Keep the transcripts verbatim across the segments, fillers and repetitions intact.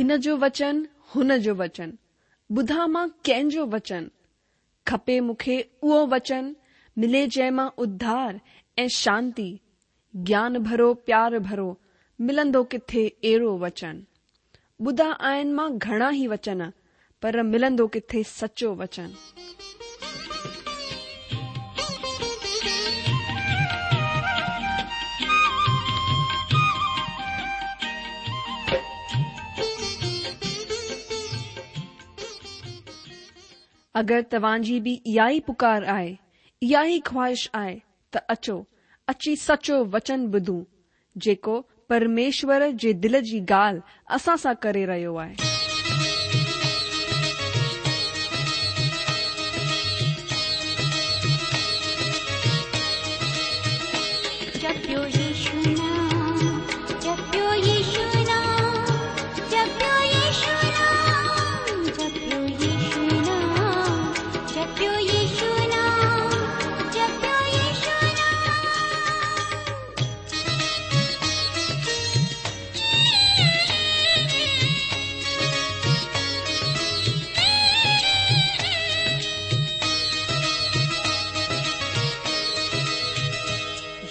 हिन जो वचन हुन जो वचन, ॿुधां मां कंहिंजो वचन? खपे मूंखे उहो वचन, मिले जंहिं मां उद्धार ऐं शांती। ज्ञान भरो प्यार भरो, मिलंदो किथे अहिड़ो वचन? ॿुधा आहिनि मां घणा ई वचन, पर मिलंदो किथे सचो वचन? अगरि तव्हांजी बि इहा ई पुकार आहे, इहा ई ख़्वाहिश आहे त अचो, अची सचो वचन ॿुधूं, जेको परमेश्वर जे दिलि जी ॻाल्हि असां सां करे रहियो आहे। जपियो यीशु नाम, जपियो यीशु नाम, जपियो यीशु नाम, जपियो यीशु नाम, जपियो यीशु नाम, जपियो यीशु नाम।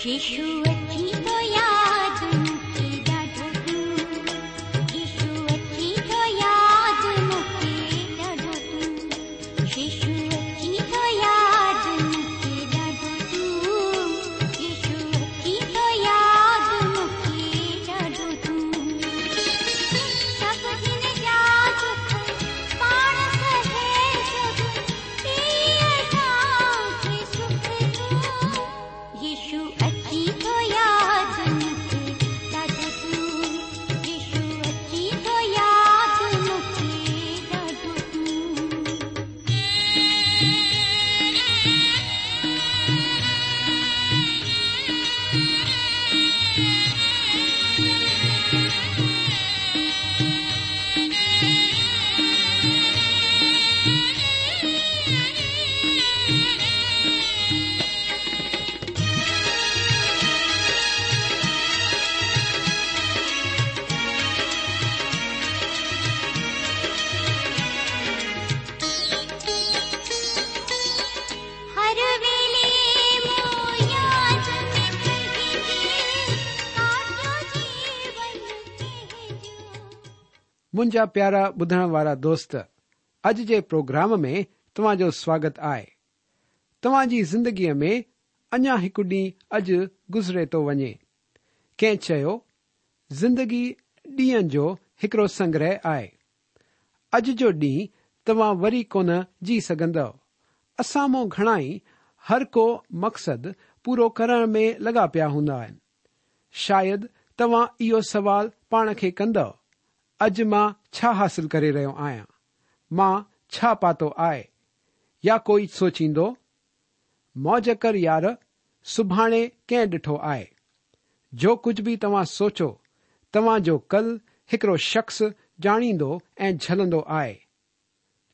यीशु अची थो यादि मूंखे ॾाढो तूं, यीशु अची थो यादि मूंखे ॾाढो तूं, यीशु अची थो यादि मूंखे ॾाढो तूं, यीशु अची थो यादि मूंखे ॾाढो तूं। सभु जिन जा दुख पाण सहे सभु, ॾे असांखे सुख तूं। यीशु अची थो यादि मूंखे ॾाढो तूं, यीशु अची थो यादि मूंखे ॾाढो तूं। हर वेले मूं याद में तुंहिंजी, काटियो जीवन कंहिंजो। मुंहिंजा प्यारा ॿुधण वारा दोस्त, अॼु जे प्रोग्राम में तव्हांजो स्वागत आहे। तव्हांजी ज़िंदगीअ में अञा हिकु ॾींहुं अॼु गुज़रे थो वञे। कंहिं चयो, ज़िंदगी ॾींहंनि जो हिकिड़ो संग्रह आहे। अॼु जो ॾींहुं तव्हां वरी कोन जी सघंदव। असां मां घणा ई हर को मक़सदु पूरो करण में लॻा पिया हूंदा आहिनि। शायदि तव्हां इहो सवाल पाण खे कंदव, अॼु मां छा हासिल करे रहियो आहियां, मां छा पातो आहे? या कोई सोचींदो, मौज कर यार, सुभाणे कंहिं ॾिठो आहे? जो कुझु बि तव्हां सोचो, तव्हांजो कल हिकिड़ो शख़्स ॼाणींदो ऐं झलंदो आहे।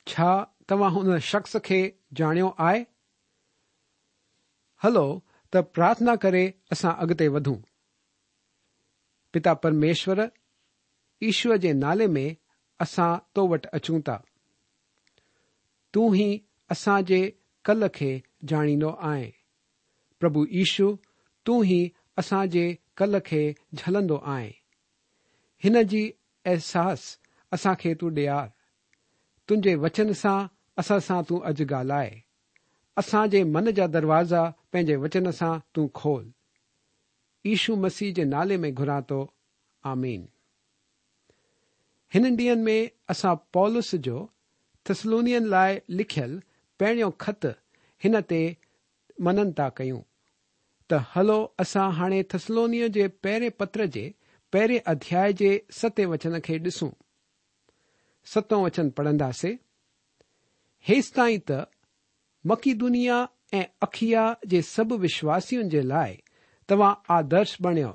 छा तव्हां हुन शख़्स खे ॼाणियो आहे? हलो त प्रार्थना करे असां अॻिते वधूं। पिता परमेश्वर, ईश्वर जे नाले में असां तो वटि अचूं था। तूं ई असांजे कल खे ॼाणींदो आहीं। प्रभु ईशु, तूं ई असांजे कल खे झलंदो आहीं। हिन जी अहसास असांखे तूं ॾियार। तुंहिंजे वचन सां असां सां तूं अॼु ॻाल्हाए। असांजे मन जा दरवाज़ा पंहिंजे वचन सां तूं खोल। ईशु मसीह जे नाले में घुरां थो, आमीन। हिननि ॾींहंनि में असां पौलुस जो थिस्सलुनीयनि लाइ लिखियल पहिरियों ख़त हिन ते मनन था कयूं। त हलो असां हाणे थिस्सलुनीय जे पहिरें पत्र जे पहिरें अध्याय जे सतें वचन खे ॾिसूं। सतों वचन पढ़ंदासीं। हेसि ताईं त मकीदुनिया ऐं अखिया जे सभु विश्वासियुनि जे लाइ तव्हां आदर्श बणियो।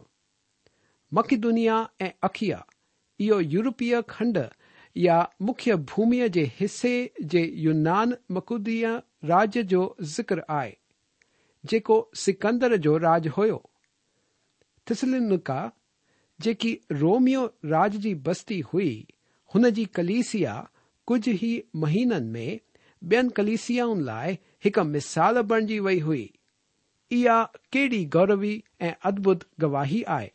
मकीदुनिया ऐं अखिया इहो यूरोपीय खंड या मुख्य भूमिअ जे हिसे जे यूनान मकुदिया राज्य जो ज़िक्र आहे, जेको सिकंदर जो राज हुयो। थिस्सलुनीका जेकी रोमियो राज जी बस्ती हुई, هن جي ڪليسيا ڪجهه ئي مهينن ۾ ٻين ڪليسيائن لاءِ هڪ مثال بڻجي وئي هئي. اها ڪهڙي گوروي ۽ ادڀت گواهي آهي.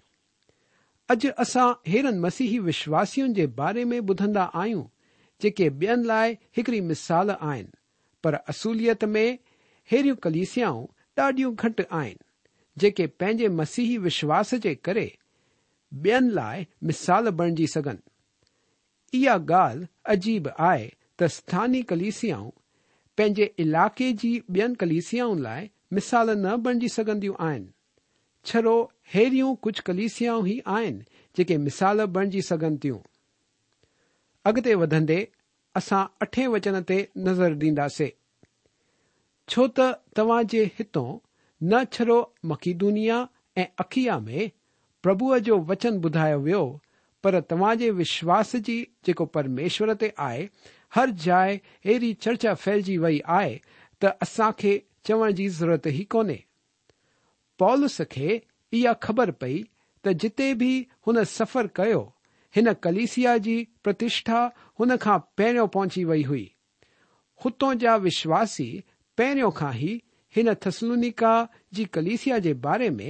اڄ اسان ههڙن مسيحي وشواسين جي باري ۾ ٻڌندا آهيون جيڪي ٻين لاءِ هڪڙي مثال آهن، پر اصليت ۾ ههڙيون ڪليسيائون ڏاڍيون گهٽ آهن جيڪي پنهنجي مسيحي وشواس جي ڪري ٻين لاءِ مثال بڻجي سگهن. اها ڳالهه عجيب آهي ته اسٿاني ڪليسيائون پنهنجي علائقي جي ٻين ڪليسيائن لاءِ مثال نه بڻجي سگهنديون آهن. ڇڙو ههڙيون ڪجهه ڪليسيائون ئي آهن جيڪي مثال بڻجي سگهن ٿيون. اڳتي وڌندي اسان اٺين وچن تي نظر ڏينداسين. ڇو ته توهان جي هتون نه ڇڙو مڪيدونيا ۽ اکيا ۾ پرڀوءَ جو وچن ٻڌايو ويو، پر توهان جي وشواس جي جيڪو پرميشور تي آهي هر جاءِ اهڙي چرچا ڦهلجي وئي آهي ته اسان کي چوڻ جي ضرورت ئي ڪونهي. پولس کي اها خبر پئي ته جتي به هن سفر ڪيو هن ڪليسيا جي پرتشٺا هن کان پهريون پهچي وئي هئي. هتون جا وشواسي پهريون کان ئي هن ٿسلونيڪا جي ڪليسيا جي باري ۾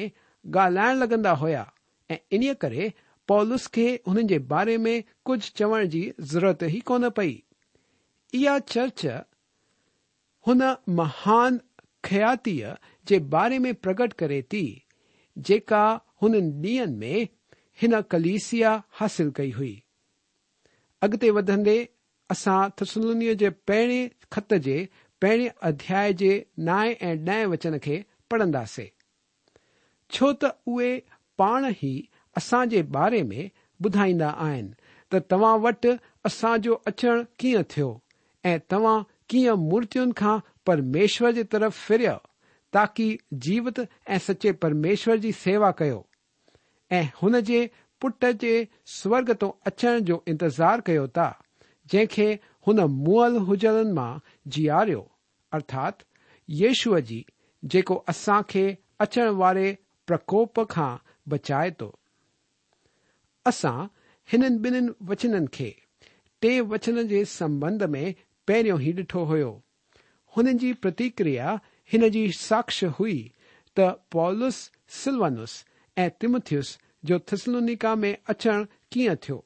ڳالهائڻ لڳندا هئا ۽ انهيءَ ڪري پولس کي هنن جي باري ۾ ڪجهه چوڻ جي ضرورت ئي ڪونه پئي. اها چرچ هن مهان کياتيءَ جي باري ۾ پرگٽ ڪري ٿي جيڪا هنن ڏينهن ۾ هن ڪليسيا حاصل ڪئي هئي. اڳتي وڌندي اسان ٿسلونيءَ جي پهرين خط جي پهرين اڌياءِ جي نائين ۽ ڏهين وچن کي پڙهنداسين. ڇو ته اهي پاڻ ئي اسان جي باري ۾ ٻڌائيندا آهن ته توهان وٽ اسان جو اچڻ ڪيئن ٿيو ۽ توهان ڪيئن مورتين کان پرميشور جي طرف ڦريا تاڪه جيوت ۽ سچي پرميشور جي سيوا ڪيو ۽ هن جي پٽ جي سورڳ تون اچڻ جو انتظار ڪيو ٿا، جنهن کي هن مئل هجڻن مان جياريو، ارٿات يشوع جي، جيڪو اسان کي اچڻ واري پرڪوپ کان بچائي ٿو. اسان هنن ٻنهن وچنن کي ٽي وچن جي سنٻنڌ ۾ پهريون ئي ڏٺو هيو. هنن جي پرتڪريا هن جي ساڪش هئي ته پولس، سلوانس ۽ تمٿيس جو ٿسلونيڪا ۾ اچڻ ڪيئن ٿيو.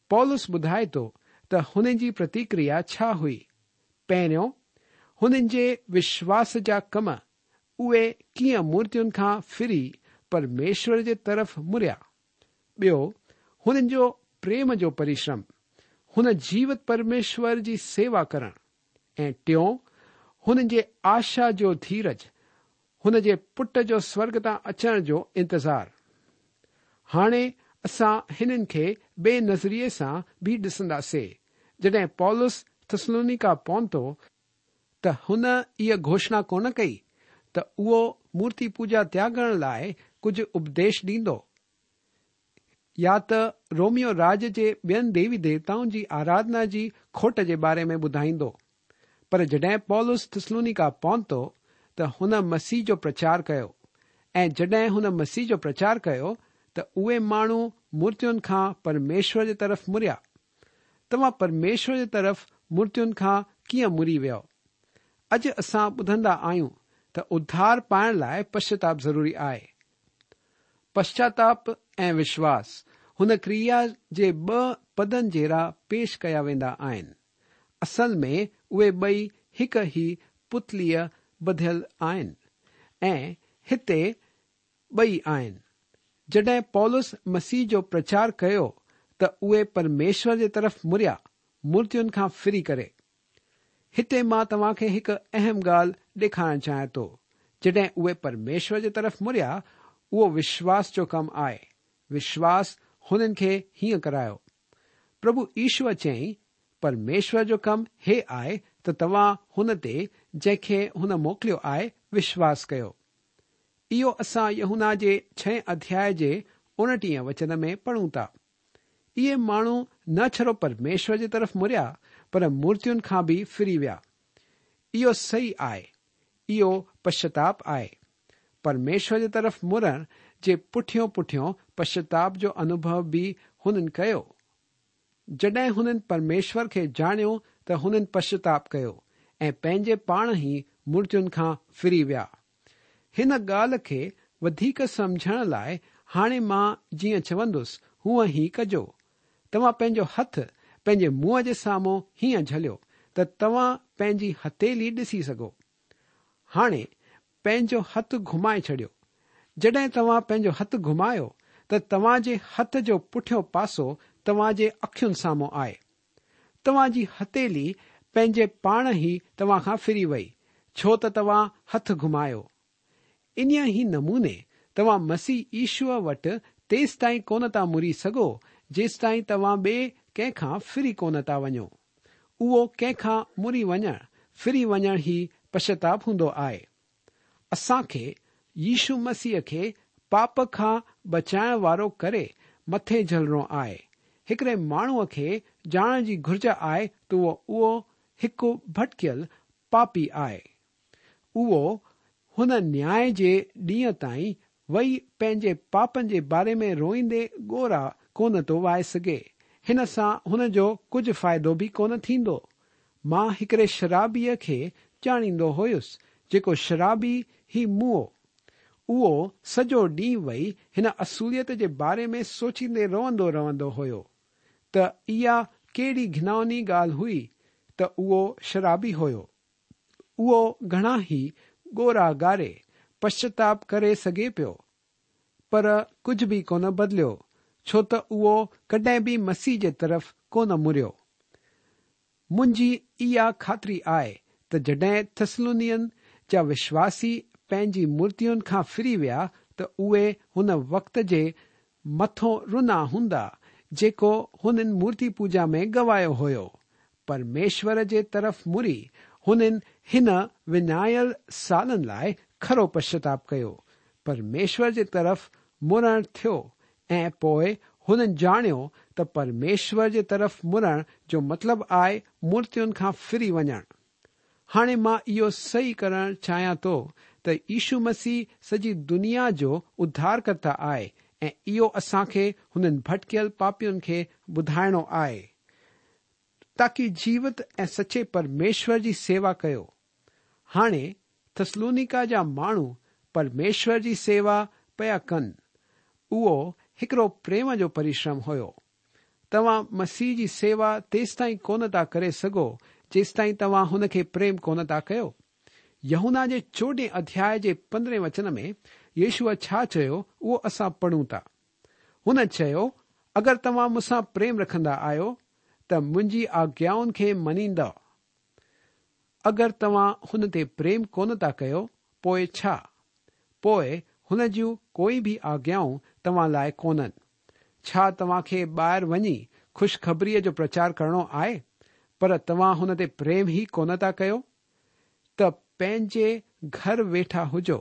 پولس ٻڌائي ٿو ته هن جي پرتڪريا ڇا هئي. پهريون، هنن جي وشواس جا ڪم، اهي ڪيئن مورتين کان ڦري پرميشور جي طرف مڙيا. ٻيو، هنن جو پريم جو پرشرم، هن جيوت پرميشور جي سيوا ڪرڻ. ۽ ٽيون، هنن جي آشا جو ڌيرج، هن جي پٽ جو سورڳ تان اچڻ جو انتظار. هاڻي اسان هنن کي ٻئي نظريي سان به ڏسنداسين. جڏهن پولس ٿسلونيڪا پهتو ته هن اها گهوشڻا ڪونه ڪئي ته اهو مورتي پوڄا تياڳڻ لاءِ ڪجهه اپديش ڏيندو يا ته روميو راج جي ٻين ديوي ديوتائن جي آراڌنا جي کوٽ جي باري ۾ ٻڌائيندو. پر جڏهن پولس ٿسلونيڪا پهتو ته هن مسيح جو پرچار ڪيو ۽ جڏهن هن مسيح جو پرچار ڪيو ته اهي ماڻهو مورتين کان پرميشور جي طرف مڙيا. توهان پرميشور جي طرف مورتين کان ڪيئن مڙي ويو؟ اڄ اسان ٻڌندا آهيون ته اڌار پائڻ لاءِ پشچاتاپ ضروري آهي. پشچاتاپ ۽ وشواس هن ڪريا جي ٻه پدن جهڙا پيش ڪيا ويندا آهن. اصل ۾ اهي ٻئي هڪ ئي پتليءَ ٻڌل آهن ۽ هتي ٻئي آهن. جڏهن پولس مسيح جو پرچار ڪيو ته اهي پرميشور جي طرف مڙيا، مورتين کان ڦري ڪري. هتي مان توهان کي هڪ اهم ڳالهه ڏيکارڻ چاهيان ٿو. جڏهن اهي پرميشور جي طرف مڙيا، اهو وشواس جو ڪم آهي. وشواس هنن کي هيئن ڪرايو. پرڀو يشوع چيائين، پرميشور جو ڪم هي آهي ته توهان هن تي جنهن کي هن موڪليو آهي وشواس ڪيو. اهو اسان يوحنا جي ڇهين اڌياءِ جي اڻٽيهين وچن ۾ پڙهون ٿا. اهي ماڻهو نه ڇڙو پرميشور جي طرف مڙيا پر مورتين کان به ڦري ويا. اهو صحيح آهي. اهو پشچاتاپ آهي. پرميشور جي طرف مڙڻ جي پٺيون پٺيون پشچاتاپ جو انوڀو به هنن ڪيو. جڏهن هنن پرميشور کي ڄاڻيو ته هنن پشچاتاپ ڪيو ۽ پنهنجي پاڻ ئي مورتين کان ڦري ويا. هن ڳالهه کي وڌيڪ سمجهڻ لاءِ هاڻي مان جيئن چوندس هونئن ئي ڪجو. توهان پنهنجو هٿ پنهنجي منهن جي سامهون هيئن جهليو ته توهان پنهنجي هٿيلي ڏسي سگهو. هاڻي پنهنجو هٿ گهمائي ڇڏيو. جڏهن توهان پنهنجو هٿ گهمايو ته توهان جي هٿ جو پٺيون پاسو توهان جي اکين سامهون آهي. توهان جي هٿيلي پنهنجي پاڻ ئي توهان کان ڦري وئي، ڇو ته توهان هٿ گهمايو. انهيءَ ئي نموني توهان مسيح يشوع وٽ تيستائين ڪونه ٿا مڙي سگهو جيستائين توهان ٻئي ڪنهن کان ڦري ڪونه ٿا وڃو. اهو ڪنهن کان مڙي وڃڻ، ڦري وڃڻ ئي پشچاتاپ هوندو آهي. اسان کي يشو مسيح کي پاپ کان بچائڻ وارو ڪري مٿي جهلڻو آهي. هڪڙي ماڻهوءَ کي ڄاڻڻ جي گهرج آهي ته اهو اهو هڪ ڀٽڪيل پاپي آهي. اهو هن نياءِ جي ڏينهن تائين وئي پنهنجي پاپن جي باري ۾ روئيندي ڳوڙها ڪونه ٿو وهائي سگهي. هن سان هن جو ڪجهه فائدو به ڪونه ٿيندو. مان هڪڙي شرابيءَ کي ڄاڻيندو هيس جيڪو شرابي ئي مئو. اهو سڄو ڏينهن وئي هن اصليت جي باري ۾ سوچيندي روئندو رهندو هيو ته اها ڪهڙي گهناوني ڳالهه هئي ته اهو شرابي هيو. اهو گهڻا ئي ڳوڙها ڳاڙي پشچاتاپ ڪري سگهي پيو، پر ڪجهه به ڪونه بدليو، ڇو ته اهو ڪڏهن به مسيح جي طرف ڪونه مڙيو. منهنجي اها خاطري آهي ته جڏهن ٿيسلونين جا وشواسي پنهنجي مورتين کان ڦري ويا ته اهي هن وقت جي مٿو رنا هوندا جيڪو هنن مورتي پوڄا ۾ گوايو هيو. پرميشور جي طرف مڙي هنن هن وڃايل سالن لاءِ کرو پشچاتاپ ڪيو. پرميشور جي طرف مڙڻ ٿيو ۽ پوءِ هنن ڄاڻيو ته پرميشور جي طرف مڙڻ جو مطلب آهي مورتين کان ڦري وڃڻ. هاڻي مان اهو صحيح ڪرڻ چاهيان ٿو ته يشو مسيح سڄي دنيا جو اڌارڪرتا آهي ۽ اهو اسان کي هنن ڀٽڪيل پاپين کي ٻڌائڻو آهي تاڪه جيوت ۽ سچي پرميشور جي سيوا ڪيو. هاڻي ٿيسلونيڪا جا ماڻهو پرميشور جي سيوا پيا ڪن. اهو هڪڙو پريم جو پرشرم هيو. توهان مسيح جي سيوا تيستائين ڪونه ٿا ڪري سگهو جيستائين توهان هن کي پريم ڪونه ٿا ڪيو. يوحنا جي چوڏهين اڌياءِ جي پندرهين وچن ۾ يشوع ڇا چيو اهو اسان پڙهون ٿا. هن چيو، اگر توهان مون سان پريم رکندا آهيو ته منهنجي آگيائن کي مڃيندا. اگر توهان هن تي پريم ڪونه ٿا ڪيو پوءِ ڇا؟ پوءِ هن جون ڪوئي به آگيائون توهان لاءِ ڪونهن. ڇا توهان کي ٻاهر وڃي خوشخبريءَ جو پرچار ڪرڻو آهي، پر توهان هن تي پريم ئي ڪونه ٿا ڪيو؟ ته پنهنجي گهر ويٺا هجو.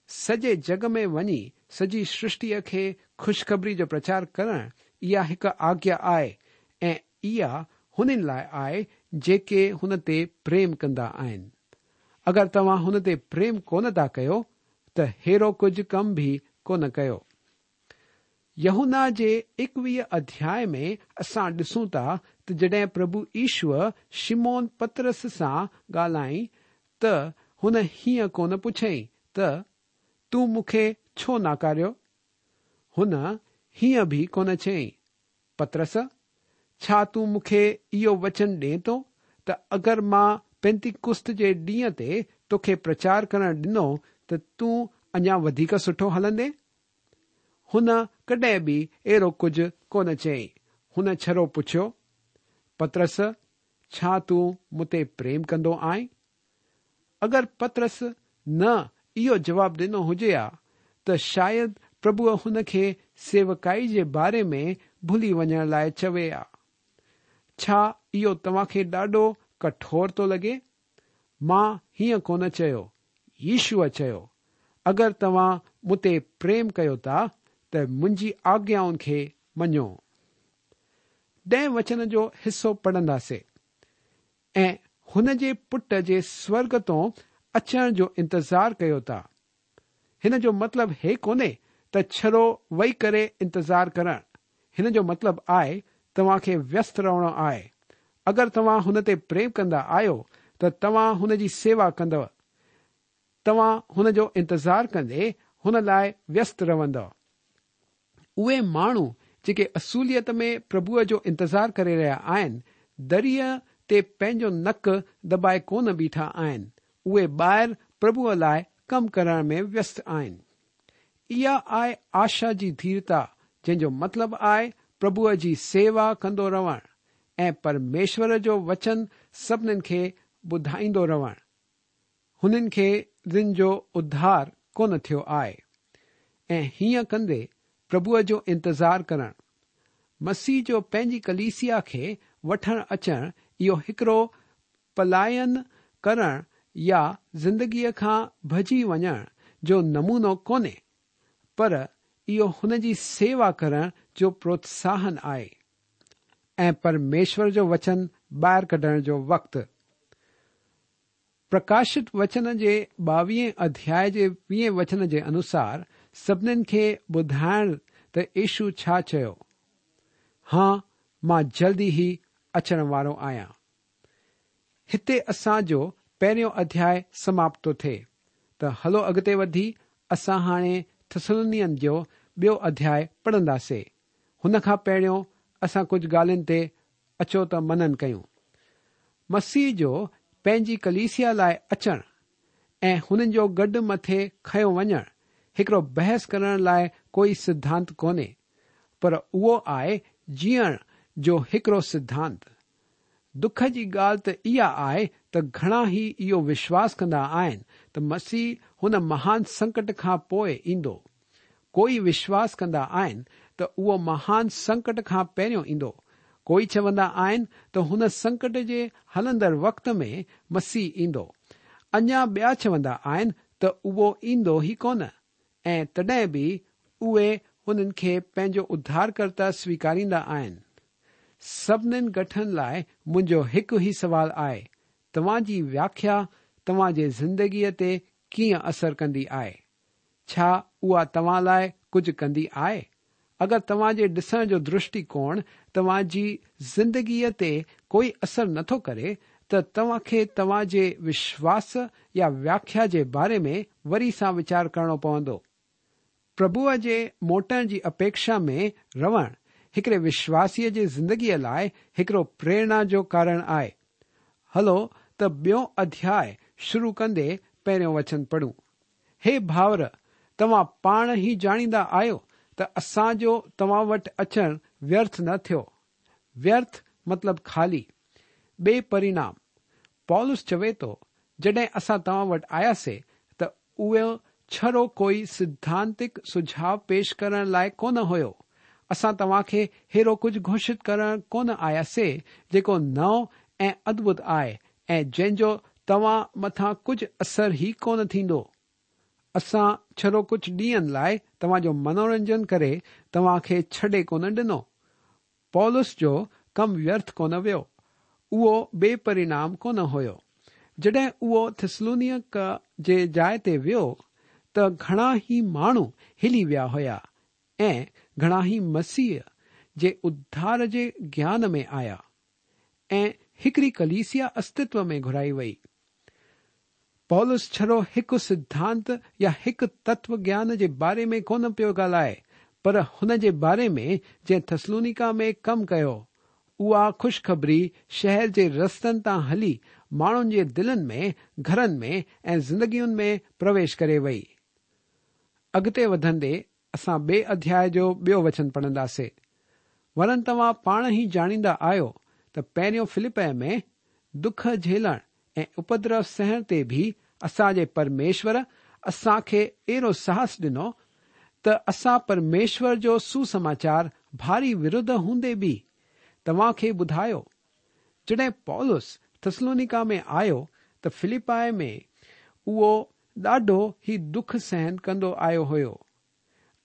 سڄي جڳ ۾ وڃي سڄي سرشٽيءَ کي خوشخبري جو پرچار ڪرڻ اها هڪ آگيا آهي ۽ اها هنن لاءِ آهي جيڪي هن تي پريم ڪندا آهن. اگر توهان هن تي پريم ڪونه ٿا ڪيو ته ههڙو ڪجهه ڪم به ڪونه ڪيو. يوحنا جي ايڪويهه اڌياءِ ۾ اسان ڏسون ٿا ته جڏهن پرڀو يشوع شمعون پطرس سان ڳالهائين ته هن هيئن ڪونه پڇيائين ته تون مون کي ڇو ناڪاريو؟ هن هيئن به ڪونه چيائين، پطرس، ڇا تون مون کي اهو وچن ڏئين ٿو ته اگر مان پينتيڪست جي ڏينهن تي توکي پرچار ڪرڻ ڏنو ته تون اڃا وڌيڪ سٺو هلندي؟ هن ڪڏهن به اهڙو ڪجهه ڪونه چيائين. هن ڇڙو پڇيو، پطرس، ڇا تون مون تي پريم ڪندو آهين؟ اگر پطرس نه اهو جواب ڏنو هجي ها ته شايد پرڀوءَ هن کي سيوڪائي جي باري ۾ ڀلي وڃڻ لاءِ چوي ها. ڇا اهو توهان کي ڏاڍو ڪٺور ٿو لڳي؟ مان هيئن ڪونه چيو، يشوع چيو، اگر توهان مون تي پريم ڪيو ٿا ته منهنجي آگيائن کي مڃو. ڏهين وچن جو حصو پڙهنداسين. ۽ هن جي پٽ جي سورڳ تون اچڻ جو انتظار ڪيو ٿا. هن جو مطلب هي ڪونهي ته ڇڙو ويهي ڪري انتظار ڪرڻ. هن جو مطلب آهي توهان کي ويست رهڻو آهي. اگر توهان هن تي پريم ڪندا آهيو ته توهان هن جي سيوا ڪندؤ. توهان هن جو انتظار ڪندي هن لاءِ ويست رهندؤ. اهي ماڻهو جيڪي اصليت ۾ پرڀوءَ جو انتظار ڪري رهيا آهن، دريءَ تي پنهنجو نڪ دٻائي ڪونه بيٺا آهن. اهي ٻاهر پرڀوءَ لاءِ ڪم ڪرڻ ۾ ويست آهن. اها آهي آشا جي ڌيرتا، جنهن جو مطلب آهي پرڀوءَ جي سيوا ڪندو رهڻ ۽ پرميشور جو وچن سڀنين کي ٻڌائيندو رهڻ. هنن کي جن جو اڌار ڪونه ٿيو آهي ۽ هيئن ڪندي پرڀوءَ جو انتظار ڪرڻ. مسيح جو پنهنجي ڪليسيا کي وٺڻ اچڻ اهو هڪڙو پلائن ڪرڻ يا زندگيءَ کان ڀڄي وڃڻ جو نمونو ڪونهي، پر اهو هن جي سيوا ڪرڻ جو پروتساهن آهي ۽ پرميشور جو وچن ٻاهر ڪڍڻ جو وقت. پرڪاشت وچن جي ٻاويهين اڌياءِ جي ويهين وچن جي انوسار سڀنين کي ٻڌائڻ ته يشو ڇا چيو، ها مان جلدي ئي اچڻ وارو آهيان. هتي اسان جو پهريون اڌياءِ سماپت ٿو ٿئي. ته هلو اڳتي وڌي اسان هاڻي ٿسلونين جو ٻيو اڌياءِ پڙهنداسين. هن کان پهريون اسان ڪجهه ڳالهين تي اچو ته منن ڪيون. مسيح جو پنهنجي ڪليسيا لاءِ اچڻ ۽ هنن جو گڏ مٿي کنيو وڃڻ هڪڙو بحث ڪرڻ لاءِ ڪوئي سڌانت ڪونهي، پر اهو آهي جيئڻ جو هڪڙو سڌانت. دک جي ڳالهه ته اها آهي ته گهڻا ئي اهو وشواس ڪندا آهن ته مسيح هن مهان سنڪٽ کان پوءِ ايندو. ڪوئي وشواس ڪندا آهن ته اهو مهان سنڪٽ کان پهريون ايندو. ڪوئي چوندا آهن ته هن سنڪٽ جي هلندڙ وقت ۾ مسيح ايندو. اڃا ٻيا چوندا آهن ته اهو ايندو ئي ڪونه، ۽ تڏهن به اهي هنن کي پنهنجو اڌارڪرتا سويڪاريندا آهن. سڀنين گٺن لاءِ منهنجو هڪ ئي سوال آهي، توهان جي وياکيا توهان جي زندگيءَ تي ڪيئن اثر ڪندي آهي؟ ڇا اها توهان لاءِ ڪجهه ڪندي آهي؟ اگر توهان جي ڏسڻ جو درشٽيڪوڻ توهان جي زندگيءَ تي ڪوئي اثر نٿو ڪري ته توهان کي توهان جي وشواس يا وياکيا جي باري ۾ وري سان ويچار ڪرڻو پوندو. پرڀوءَ جي موٽڻ جي اپيڪشا ۾ رهڻ هڪڙي وشواسيءَ جي زندگيءَ لاءِ هڪڙو پريرڻا جو ڪارڻ آهي. هلو ته ٻيو اڌياءِ شروع ڪندي پهريون وچن پڙهون. هي ڀائر، توهان پاڻ ئي ڄاڻيندا آهيو ته اسان جو توهان وٽ اچڻ ويرٿ نه ٿيو. ويرٿ مطلب خالي، بي پرڻام. پولس چوي ٿو، جڏهن اسان توهان وٽ آياسين ته اهو ڇڙو ڪوئي سڌانتڪ سجهاءُ پيش ڪرڻ لاءِ ڪونه هيو. اسان توهان کي ههڙو ڪجهه گهوشت ڪرڻ ڪونه آياسين جيڪو نئون ۽ ادڀت آهي ۽ جنهن جو توهان مٿان ڪجهه اثر ئي ڪونه ٿيندو. اسان ڇڙو ڪجهه ڏينهن لاءِ توهان جو منورنجن ڪري توهان کي ڇڏي ڪونه ڏنو. پولس جو ڪم ويرٿ ڪونه ويو. اهو بي پرڻام ڪونه هيو. جڏهن اهو ٿسلونيڪا جي جاءِ تي ويو ته گهڻا ئي ماڻهو هلي ويا هئا ۽ گهڻا ئي مسيح جي اڌار جي گيان ۾ آيا ۽ هڪڙي ڪليسيا استتو ۾ گهرائي وئي. پولس ڇڙو هڪ سڌانت يا هڪ تتو گيان جي باري ۾ ڪونه پيو ڳالهائي، پر هن جي باري ۾ جنهن ٿسلونيڪا ۾ ڪم ڪيو. اها خوشخبري شهر جي رستن تان هلي ماڻهن جي دلن ۾، گهرن ۾ ۽ زندگين ۾ پرويش ڪري وئي. اڳتي وڌندي اسان ٻئي اڌياءِ جو ٻيو وچن پڙهنداسين. ورن توهان پاڻ ئي ڄاڻيندا آهيو ته پهريون فلپي ۾ دک جهيلڻ ۽ اپدرو سهڻ تي به اسان جي پرميشور اسان کي اهڙو ساهس ڏنو ته اسان پرميشور جو سسماچار ڀاري وروڌ هوندي به توهان کي ٻڌايو. جڏهن پولس ٿسلونيڪا ۾ آيو ته فلپائي ۾ اهو ڏاڍو ئي دک سهن ڪندو آيو هيو.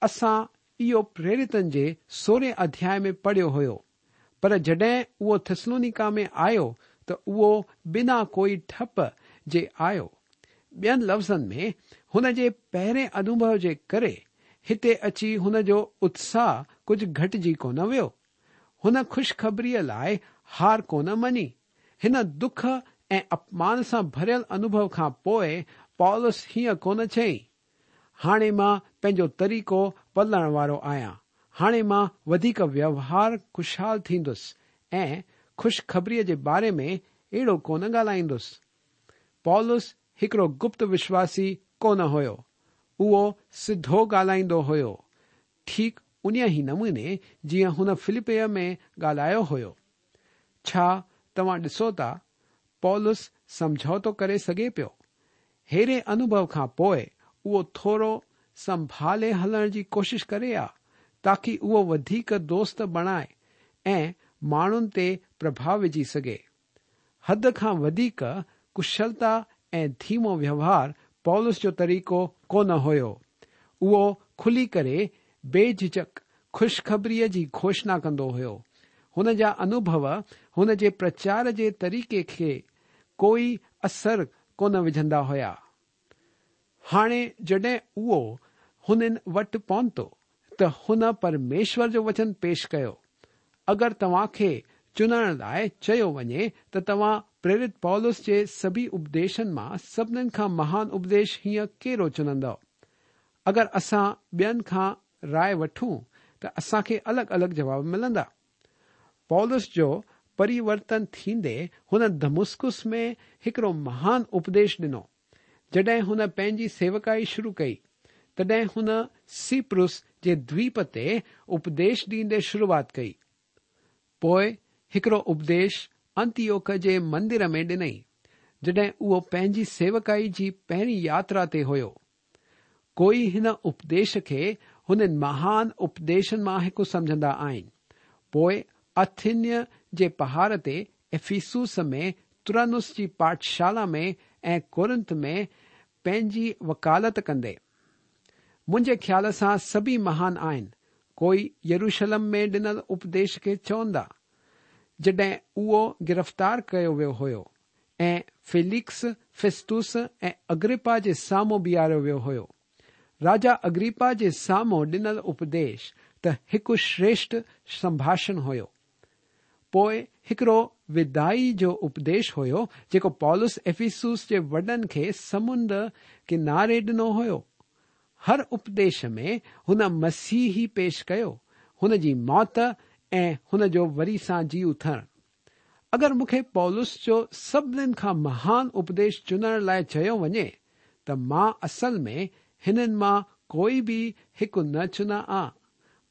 اسان اهو پريرتن جي سورهين اڌياءِ ۾ پڙهيو هيو، پر جڏهن اهو ٿسلونيڪا ۾ آيو ته اهو بنا ڪوئي ٺپ جي آيو. ٻين لفظن ۾ هن جي پهرين انوڀو جي ڪري هتي اچي هن جو اتساهه ڪجهه گهٽجي ڪونه ويو. هن خوشخبريءَ لاءِ هار ڪونه مڃي. هن دک ۽ اپمان سان ڀريل انوڀو کان پوءِ پولس هيئن ڪونه چئي، هاڻي مان پنهنجو طريقو بدلڻ وارو آهيان، هاڻي مان وڌيڪ ويوهار ڪشال ٿيندس ۽ خوشخبريءَ جي باري ۾ اهڙو ڪونه ڳالهائيندس. پولس هڪڙو گپت وشواسي ڪونه هيو، اهو سڌو ڳالهائيندو هيو، ٺيڪ ان ئي نموني جيئن هن فلپيءَ ۾ ڳالهايو هيو. ڇا توهان ڏسو ٿا پولس سمجهوتو ڪري سگهي پيو؟ ههڙي انوڀو کان پوءِ اهو ٿورو سنڀالي هلڻ جي ڪوشش ڪري ها، تاڪه اهو وڌيڪ دوست بڻائي ۽ ماڻهن تي پرڀاءُ وجهي سگهي. حد کان وڌيڪ ڪشلتا ۽ ڌيمو ويوهار پولس جو طريقو ڪونه هيو. اهو کلي ڪري بيجهجهڪ خوشخبريءَ جي گهوشڻا ڪندو هيو. هن جا انوڀو هن جي پرچار جي طريقي کي ڪوئي اثر ڪونه وجهندا هيا. هاڻي جڏهن اهو هنن وٽ پهتو ته هن پرميشور جو وچن پيش ڪيو. اگر توهان کي چنڻ لاءِ چيو وڃي ته توهان پريرت پولس جي سڀئي اپديشن مان سڀنين کان مهان اپديش هيئن ڪهڙو چنندؤ؟ اگر اسان ٻين کان راءِ وٺون ته اسان کي الڳ الڳ جواب ملندا. پولس جو پريورتن ٿيندي هن دمسڪس ۾ هڪڙو مهان اپديش ڏنو. جڏهن هن پنهنجي سيوڪائي شروع ڪئي، تڏهن هن سيپرس جي دويپ تي اپديش ڏيندي شروعات ڪئي. پوءِ هڪڙو اپديش انتيوڪ جي مندر ۾ ڏنئي، جڏهن اهو پنهنجي سيوڪائي جي پهرين ياترا تي هيو. ڪوئي هن اپديش کي هنن مهان اپديشن مان هڪ سمجهندا آهن. پوءِ اٿيني جي پهاڙ تي، افسوس ۾ ترنس جي پاٺشالا ۾ ۽ ڪورنٿ ۾ پنهنجي وڪالت ڪندي. منهنجي خيال سان سڀئي مهان آهن. ڪوئي يروشلم ۾ ڏنل اپديش کي چوندا، جڏهن اهو گرفتار ڪيو ويو هيو ۽ فيلڪس، فيستوس ۽ اگرپا جي سامهون بيهاريو ويو هيو. راجا اگرپا جي سامهون ڏنل اپديش ته هڪ شريشٺ سنڀاشڻ هيو. پوءِ هڪڙو ودائي جو اپديش هيو جيڪو پولس افسوس جي وڏن کي سمنڊ ڪناري ڏنو هيو. هر اپديش ۾ هن مسيح ئي پيش ڪيو، هن جي موت ۽ هن جو وري سان جي اٿڻ. اگر مون کي پولس جو سڀنين کان مهان اپديش چنڻ لاءِ چيو وڃي ته مان اصل ۾ هنن مان ڪوئي به هڪ نه چنان ها.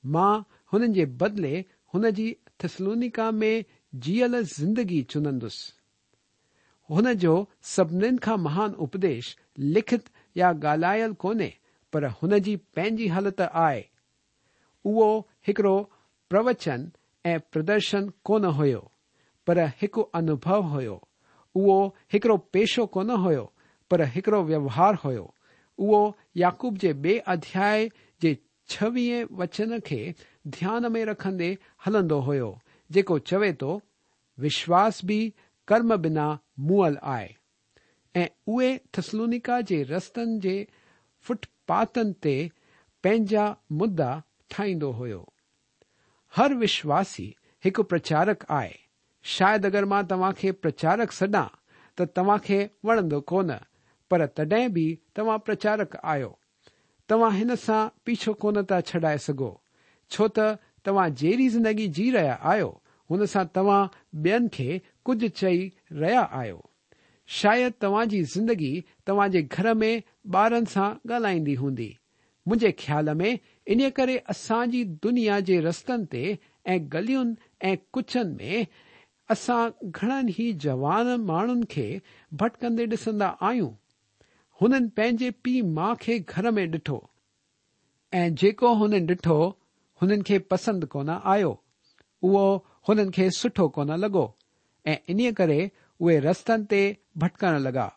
مان هنن جي بدلي هن جي ٿيسلونيڪا ۾ جيئل زندگي چنندس. هن جو سڀنين کان مهان اپديش لکت يا ڳالهايل ڪونهي، پر هن جي پنهنجي حالت آهي. اهو هڪڙو پروچن ۽ پردرشن ڪونه هيو، پر هڪ انوڀو هيو. اهو هڪڙو پيشو ڪونه هيو، پر هڪڙو ويوهار هيو. اهو يعقوب جي ٻئي اڌياءِ جي ڇويهين وچن کي ڌيان ۾ رکندي هلندو هيو، جيڪو چوي ٿو، وشواس به ڪرم بنا مئل آهي. ۽ اهي ٿيسلونيڪا جي رستن جي فٽپاٿن تي پنهنجا مدعا ٺاهيندو هيو. هر وشواسي هڪ پرچارڪ آهي. شايد اگر مان توهان کي پرچارڪ سڏان ته توهان کي وڻندو ڪونه، پر تڏهن به توهان پرچارڪ آهيو. توهان هن سان پيڇو ڪونه ٿا ڇڏائي سگهو، ڇو ته توهان جهڙي زندگي جي رهيا آهيو هن سان توهان ٻين کي ڪجهه چئي رهيا آهيو. شايد توهان جي زندگي توهان جي گهر ۾ ٻارن سان ڳالهائيندي هوندي. منهنجي خيال ۾ ان ڪري اسان جي دنيا جي رستن تي ۽ گلين ۽ ڪوچن ۾ اسان گهڻن ئي جوان ماڻهن کي ڀٽڪندي ڏسندا آهيون. هنن پنهنجي پيءُ ماءُ کي گهر ۾ ڏٺو ۽ جيڪو هنن ڏٺو هنن کي پسند ڪونه آيو، اهو هنن کي سٺو ڪونه لڳو ۽ انهيءَ ڪري اهي رستن تي ڀٽڪڻ لڳا.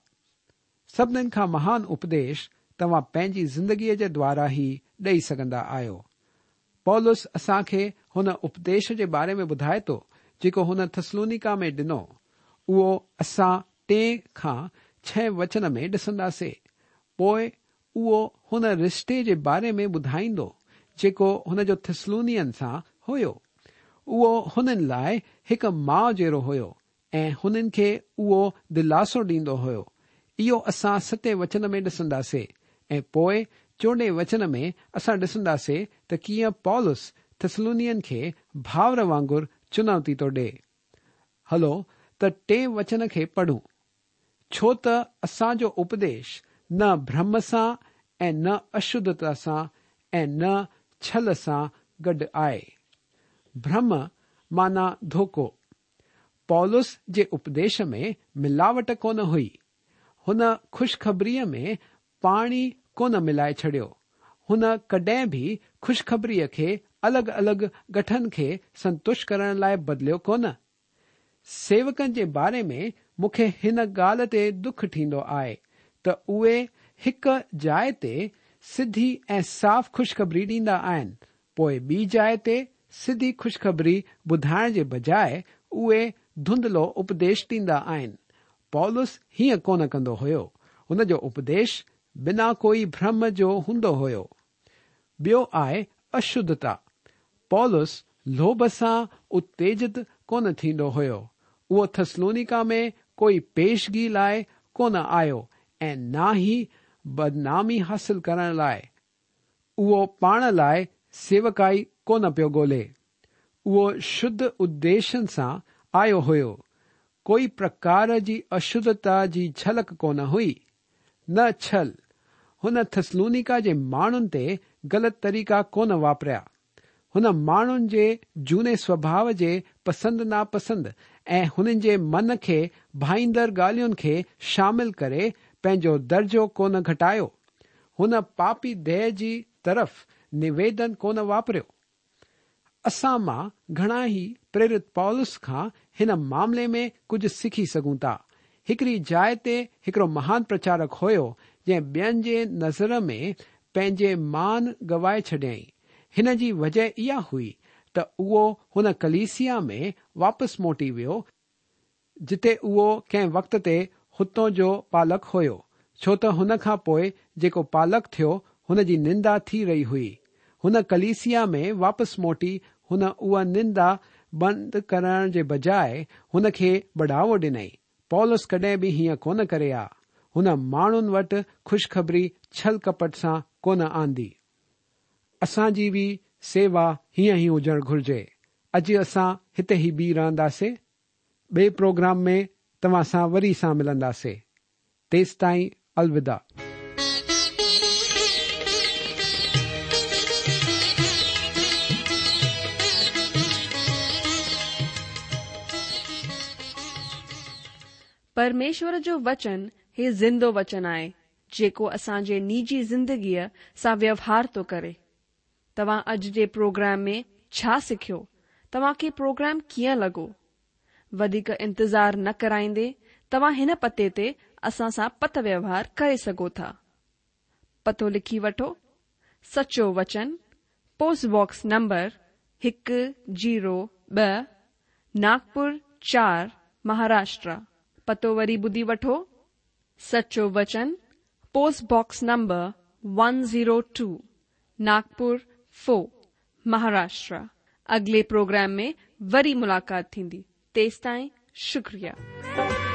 سڀنين کان مهان اپديش توهان پنهنجي زندگيءَ جي دوارا ئي ڏيئي سگهندا آهيو. پولس اسان کي هن اپديش جي باري ۾ ٻڌائي ٿو جيڪو هن ٿيسلونيڪا ۾ ڏنو. اهو اسان ٽي کان ڇهه وچن ۾ ڏسنداسين. پوءِ اهو هن رشتي جي باري ۾ ٻڌائيندو جيڪو هن جو ٿيسلونين سان هيو. اهو هنن لاءِ هڪ ماءُ جهڙو هيو ۽ هنن کي اهو دلاسو ڏيندو هيو. اهو اسان ستين وچن ۾ ڏسنداسين ۽ پوءِ چوڏهين وچن ۾ اسان ڏسنداسين ته ڪيئن پولس ٿسلونين کي ڀائر وانگر چنوتي ٿو ڏئي. هلو ته ٽئين وچن کي پڙهون. ڇو ته اسان جو اپديش نه ڀرم سان ۽ نه اشڌتا سان ۽ نه ڇل سان گڏ آهي. ڀرم معنيٰ ڌوڪو. پولس جي اپديش ۾ ملاوٽ ڪونه هئي. هن خوشخبريءَ ۾ پاڻي ڪونه ملائي ڇڏيو. هن ڪڏهن به خوشخبريءَ کي الڳ الڳ گٺن کي سنتشٽ ڪرڻ لاءِ بدليو ڪونه. سيوڪن جي باري ۾ مون کي هن ڳالهه تي دک ٿيندو آهي ته اهي هڪ جاءِ تي سڌي ۽ صاف خوشخبري ڏيندا آهن، پوءِ ٻي جاءِ تي سڌي خوشخبري ٻڌائڻ جي بجاءِ اهي ڌنڌلو اپديش ڏيندا آهن. پولس هيئن ڪونه ڪندو هيو. هن جو اپديش بنا ڪوئي ڀرم جو هوندو هيو. ٻيو آهي اشڌتا. پولس لوڀ سان اتيجت ڪونه ٿيندو هيو. اهو ٿسلونيڪا ۾ ڪوئي پيشگي لاءِ ڪونه آيو ۽ نه ئي بدنامي حاصل ڪرڻ لاءِ. اهو پاڻ لاءِ سيوڪائي ڪونه پيو ڳولهي. اهو شڌ اديشن سان آيو هيو. ڪوئي پرڪار جي اشڌتا جي جهلڪ ڪونه هئي، نه ڇل. هن ٿسلونيڪا جي ماڻهن تي غلط طريقا ڪونه واپريا. هن ماڻهن جي جهوني سوڀاءُ جي پسند ناپسند ۽ هنن جي من کي ڀائيندڙ ڳالهين کي شامل ڪري پنهنجو درجو ڪونه گهٽايو. هن پاپي ديهه جي طرف نويدن ڪونه واپريو. اسان مان گهڻا ئي پريرت پولس کان هن معاملي ۾ ڪجهه سکي سگهون ٿا. هڪڙي جاءِ تي هڪڙو مهان پرچارڪ هيو جنهن ٻين جي نظر ۾ پنهنجي مان گوائي ڇڏيائين. هن جي وجهه اها هئي ته اهو هن ڪليسيا ۾ واپس موٽي ويو جتي اهو ڪنهن وقت تي هتان جو پالڪ هيو، ڇو ته هن کان پوءِ جيڪو پالڪ ٿيو هن جي نندا ٿي رهي هئي. هن ڪليسيا ۾ واپس موٽي هن اها نندا بند ڪرڻ جي بجاءِ هن کي بڙهاوو ڏنائين. پولس ڪڏهن به هيئن ڪونه ڪري ها. هن ماڻهن وٽ خوشخبري ڇل ڪپٽ سان ڪونه آندي. اسان جي به سيوا هيئن ئي هجڻ گهرجي. اڄ اسان هتي ئي بيهه رهنداسين. ٻئي پروگرام ۾ توهان سان وري سان ملنداسين. تيستائين الوداع. پرميشور جو وچن هي زندو وچن آهي جيڪو اسان جي نجي زندگيءَ سان ويوهار ٿو ڪري. توهان اڄ جي پروگرام ۾ ڇا سکيو؟ توهان کي پروگرام ڪيئن لڳو؟ وڌيڪ انتظار نه ڪرائيندي توهان هن پتي تي اسان سان پتر ويوهار ڪري سگهو ٿا. پتو لکي وٺو: سچو وچن، پوسٽ باڪس نمبر هڪ زيرو ٻه، ناگپور چار، مهاراشٽر. پتو وري ٻڌي وٺو: سچو وچن، post box number one zero two, Nagpur four, Maharashtra. اڳلي پروگرام ۾ وري ملاقات ٿيندي. تيستائين شڪريه.